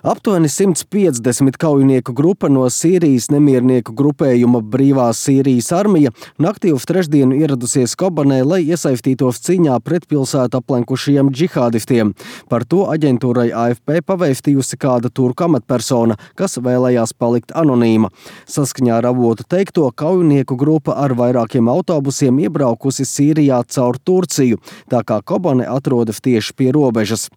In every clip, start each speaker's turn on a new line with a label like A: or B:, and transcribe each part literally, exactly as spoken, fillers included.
A: Aptuveni simts piecdesmit kaujinieku grupa no Sīrijas nemiernieku grupējuma Brīvā Sīrijas armija naktī uz trešdienu ieradusies Kobanē, lai iesaistītos cīņā pret pilsētu aplenkušajiem džihādistiem. Par to aģentūrai A F P pavēstījusi kāda turku amatpersona, kas vēlējās palikt anonīma. Saskaņā ar avotu teikto, kaujinieku grupa ar vairākiem autobusiem iebraukusi Sīrijā caur Turciju, tā kā Kobane atrodas tieši pie robežas.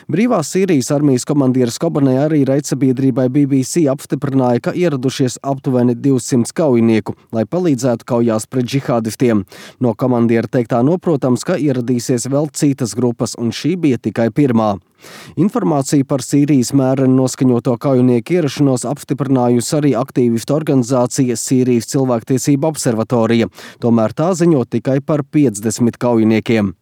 A: Brīvās Sīrijas armijas komandieris Kobanē arī raidsabiedrībai B B C apstiprināja, ka ieradušies aptuveni divsimt kaujinieku, lai palīdzētu kaujās pret džihādistiem. No komandiera teiktā noprotams, ka ieradīsies vēl citas grupas, un šī bija tikai pirmā. Informāciju par Sīrijas mēreni noskaņoto kaujinieku ierašanos apstiprinājusi arī aktīvistu organizācija Sīrijas cilvēktiesība observatorija, tomēr tā ziņo tikai par piecdesmit kaujiniekiem.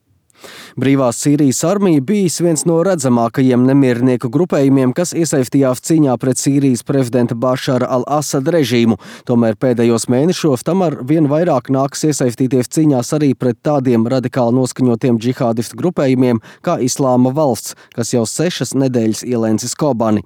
A: Brīvās Sīrijas armija bijis viens no redzamākajiem nemiernieku grupējumiem, kas iesaistījās cīņā pret Sīrijas prezidenta Bašara al-Asada režīmu. Tomēr pēdējos mēnešos tam ar vien vairāk nāks iesaistīties cīņās arī pret tādiem radikāli noskaņotiem džihādistu grupējumiem kā Islāma valsts, kas jau sešas nedēļas ielēncis Kobani.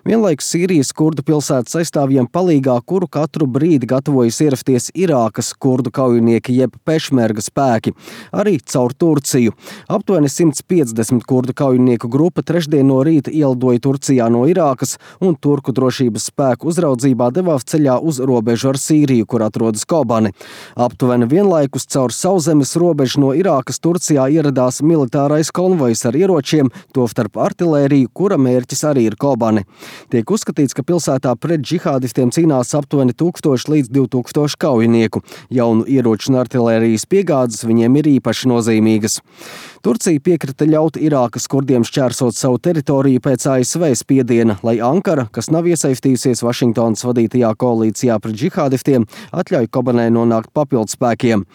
A: Vienlaikus Sīrijas kurdu pilsētas aizstāvjiem palīgā, kuru katru brīdi gatavojas ierasties Irākas kurdu kaujinieki jeb pešmerga spēki, arī caur Turciju. Aptuveni simts piecdesmit kurdu kaujinieku grupa trešdien no rīta ielidoja Turcijā no Irākas un turku drošības spēku uzraudzībā devās ceļā uz robežu ar Sīriju, kur atrodas Kobani. Aptuveni vienlaikus caur sauszemes robežu no Irākas Turcijā ieradās militārais konvojs ar ieročiem, tostarp artilēriju, kura mērķis arī ir Kobani. Tiek uzskatīts, ka pilsētā pret džihādistiem cīnās aptuveni tūkstoši līdz divi tūkstoši kaujinieku. Jaunu ieroču un artilērijas piegādes viņiem ir īpaši nozīmīgas. Turcija piekrita ļaut Irākas kurdiem šķērsot savu teritoriju pēc A S V spiediena, lai Ankara, kas nav iesaistījusies Vašingtonas vadītajā koalīcijā pret džihādistiem, atļauj Kobanē nonākt papildspēkiem.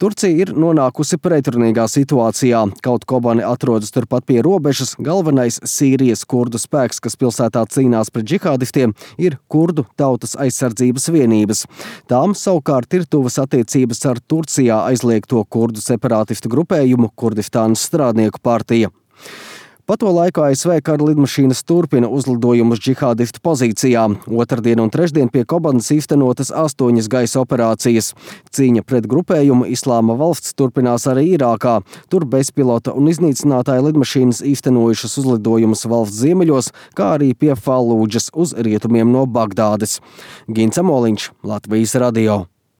A: Turcija ir nonākusi pretrunīgā situācijā. Kaut Kobane atrodas turpat pie robežas, galvenais Sīrijas kurdu spēks, kas pilsētā cīnās pret džihādistiem, ir kurdu tautas aizsardzības vienības. Tām savukārt ir tuvas attiecības ar Turcijā aizliegto kurdu separātistu grupējumu Kurdistānas strādnieku partija. Pa to laiku A S V kara lidmašīnas turpina uzlidojumus džihādistu pozīcijām. Otrdien un trešdien pie Kobanas īstenotas astoņas gaisa operācijas. Cīņa pret grupējumu Islāma valsts turpinās arī Irākā. Tur bezpilota un iznīcinātāja lidmašīnas īstenojušas uzlidojumus valsts ziemeļos, kā arī pie Falūdžas uz rietumiem no Bagdādes. Gints Amoliņš, Latvijas radio.